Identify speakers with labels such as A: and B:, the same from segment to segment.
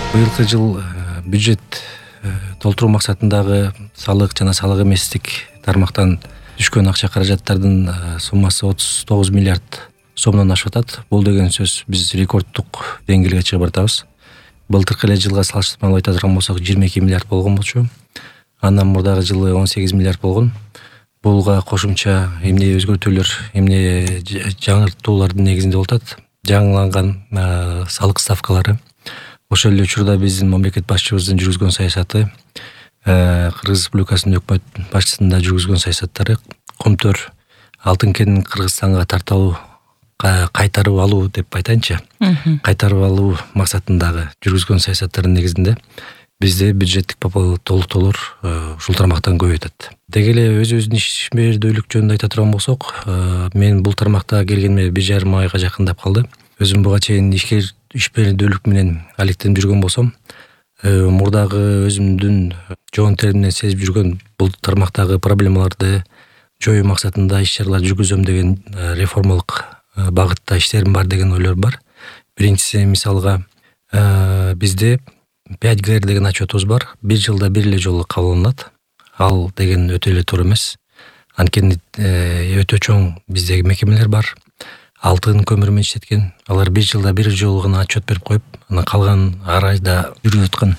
A: Быйылкы жыл бюджет толтуруу максатындагы салык жана салык эместик тармактан түшкөн акча каражаттардын суммасы 39 миллиард сомдон ашып атат. Бул деген сөз биз рекорддук деңгээлге чыгып баратабыз. Былтыркы эле жылга салыштырмалуу айта турган болсок 22 миллиард болгон болчу. Андан мурдагы жылы 18 миллиард болгон. Булга кошумча эмне өзгөртүүлөр, эмне жаңыртуулардын негизинде болуп атат. Жаңыланган салык ставкалары. Ошол эле учурда биздин мамлекет башчыбыздын жүргүзгөн саясаты, Кыргыз Республикасынын өкмөт башчысында жүргүзгөн саясаттары Комтөр алтын кенин Кыргызстанга тартып кайтарып алуу деп айтайынчы. Кайтарып алуу максатындагы жүргүзгөн саясаттардын негизинде бизде бюджеттик толуктоолор ушул тармактан көбөйүп атат. Деги эле өзүбүздүн ишмердүүлүк жөнүндө айта турган болсок, мен бул тармакта келгениме 1,5 айга жакындап калды. Өзүм буга чейин ишмердүүлүк менен алектенип жүргөн болсом, мурдагы өзүмдүн жоон теримден сезип жүргөн бул тармактагы проблемаларды жоюу максатында иш-чаралар жүргүзөм деген реформалык багытта иштерим бар деген ойлор бар. Биринчиси, мисалга, бизде 5G деген отчетубуз бар. Бир жылда бир эле жолу кабылданат. Ал деген өтө эле туура эмес. Анткени өтө чоң биздеги мекемелер бар. Алтын көмүр менен иштеткен. Алар бир жылда бир жолу гана отчет берип коюп, анан калган ар айда жүрүп аткан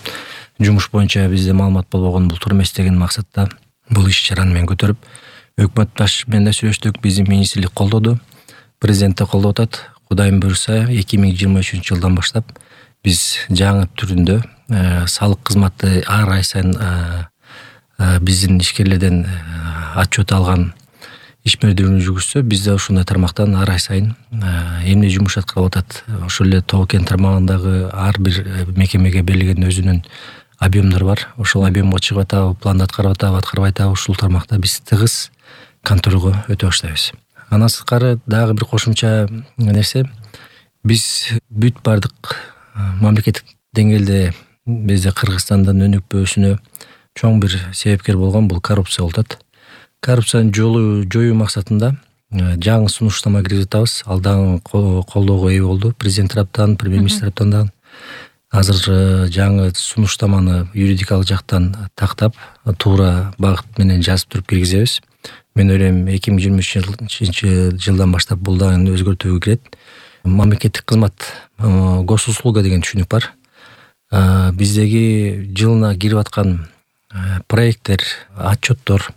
A: жумуш боюнча бизде маалымат болбогон бул туура эмес деген максатта бул иш-чараны мен көтөрүп, өкмөт башчы менен да сүйлөштүк, биздин министрлик колдоду, президент да колдоп атат. Кудайым буйрса 2023 жылдан баштап биз жаңы түрүндө салык кызматы ар ай сайын биздин ишкерлерден отчет алган ишмердүүлүгүн жүргүзсө, бизде ушундай тармактан ар ай сайын эмне жумуш аткарылып атат. Ошол эле тоо кен тармагындагы ар бир мекемеге берилген өзүнүн объемдор бар. Ошол объемго чыгып атабы, планды аткарып атабы, аткарбай атабы, ушул тармакта биз тыгыз контролго өтө баштайбыз. Андан сырткары дагы бир кошумча нерсе, биз бүт бардык мамлекеттик деңгээлде бизде Кыргызстандын өнүкпөсүнө чоң бир себепкер болгон бул коррупция болуп атат. Коррупцияны жоюу максатында жаңы сунуштама киргизип атабыз. Ал дагы колдоого ээ болду. Президент тараптан, премьер-министр тараптан да. Азыр жаңы сунуштаманы юридикалык жактан тактап, туура багыт менен жазып туруп киргизебиз. Мен ойлойм 2023 жылдан баштап бул дагы өзгөртүүгө кирет. Мамлекеттик кызмат, госуслуга деген түшүнүк бар. Биздеги жылына кирип аткан проекттер, отчеттор,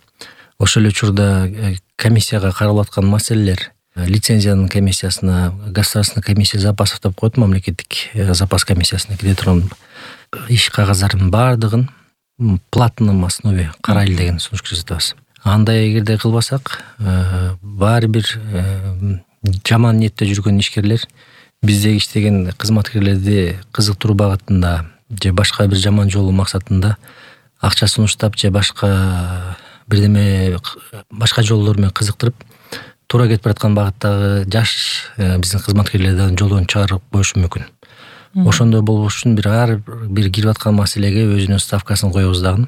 A: ошол эле учурда комиссияга каралып аткан маселелер, лицензиянын комиссиясына, государственный комиссия запасов деп коет, мамлекеттик запас комиссиясына кире турган иш кагаздардын баардыгын платном основе карайлы деген сунуш киргизебиз. Андай эгерде кылбасак, баары бир жаман ниетте жүргөн ишкерлер биздеги иштеген кызматкерлерди кызыктыруу багытында же башка бир жаман жолу максатында акча сунуштап же башка бирдеме башка жолдор менен кызыктырып туура кетип бараткан багыттагы жаш биздин кызматкерлерден жолдон чыгарып коюшу мүмкүн. Ошондой болбош үчүн ар бир кирип аткан маселеге өзүнүн ставкасын коебуз дагы.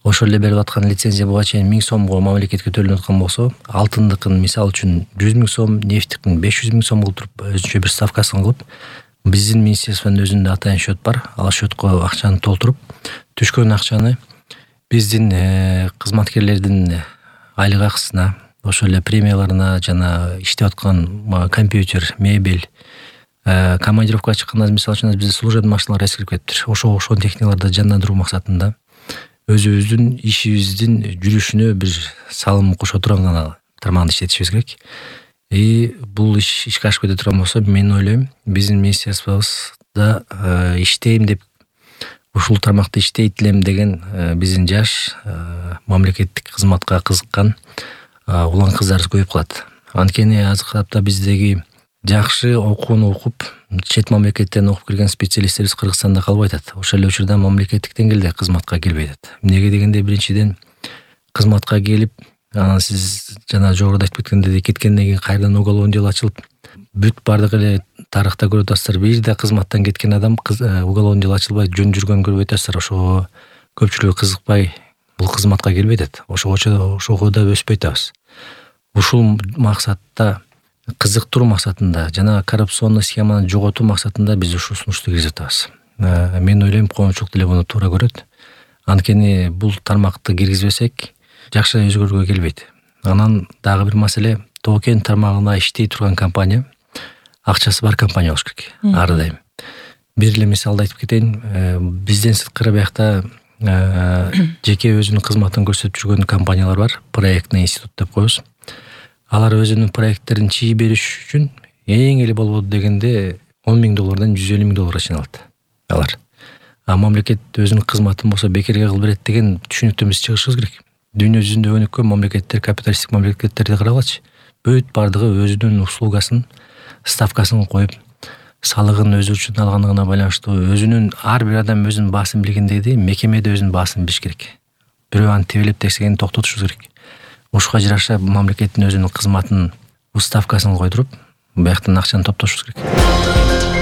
A: Ошол эле берип аткан лицензия буга чейин 1000 сомго мамлекетке төленип аткан болсо, алтындыкын мисалы үчүн 100 000 сом, нефтиктин 500 000 сом кылып туруп өзүнчө бир ставкасын кылып, биздин министрликтин өзүндө атайын счет бар. Ал счетко акчаны толтуруп, түшкөн акчаны биздин кызматкерлердин айлык акысына, ошол эле премияларына жана иштеп аткан компьютер, мебель, командировкага чыкканда мисалы үчүн бизде служебный машиналар эскирип кетиптир. Ошол техникаларды жандандыруу максатында өзүбүздүн ишибиздин жүрүшүнө бир салым кошо турган гана тармагында иштетишибиз керек. Бул ишке ашып кете турган болсо, мен ойлойм, биздин министрликибизде иштейм деп, ушул тармакта иштейт элем деген биздин жаш мамлекеттик кызматка кызыккан улан кыздарыбыз көбөйүп калат. Анткени азыркы тапта биздеги жакшы окууну окуп, чет мамлекеттен окуп келген специалисттерибиз Кыргызстанда калбай атат. Ошол эле учурда мамлекеттик деңгээлде кызматка келбей атат. Эмнеге дегенде, биринчиден кызматка келип, анан сиз жана жогоруда айтып кеткендей кеткенден кийин кайрадан уголовный дело ачылып, бүт бардык эле тарыхта көрүп атасыздар, бир да кызматтан кеткен адам уголовный дело ачылбай жөн жүргөнүн көрүп атасыздар. Ошого көпчүлүгү кызыкпай бул кызматка келбей атат. Ошого да өспөй атабыз. Ушул максатта кызыктыруу максатында жана коррупционный схеманы жоготуу максатында биз ушул сунушту киргизип атабыз. Мен ойлойм коомчулук деле муну туура көрөт. Анткени бул тармакты киргизбесек жакшы өзгөрүүгө келбейт. Анан дагы бир маселе, Тоо-Кен тармагында иштей турган компания акчасы бар компания болуш керек ар дайым. Бир эле мисалды айтып кетейин. Бизден сырткары биякта жеке өзүнүн кызматын көрсөтүп жүргөн компаниялар бар. Проектный институт деп коебуз. Алар өзүнүн проекттерин чыйып бериш үчүн эң эле болбоду дегенде $10,000 $150,000 чейин алат алар. Мамлекет өзүнүн кызматын болсо бекерге кылып берет деген түшүнүктөн биз чыгышыбыз керек. Дүйнө жүзүндө өнүккөн мамлекеттер, капиталисттик мамлекеттерди карагылачы. Бүт бардыгы өзүнүн услугасын, ставкасын коюп, салыгын өзү үчүн алгандыгына байланыштуу өзүнүн ар бир адам өзүнүн баасын билгендей мекемеде өзүнүн баасын билиш керек. Бирөө аны тебелеп текшегенди токтотушубуз керек. Ушуга жараша мамлекеттин өзүнүн кызматын, ставкасын койдуруп, бияктан акчаны топтошубуз керек.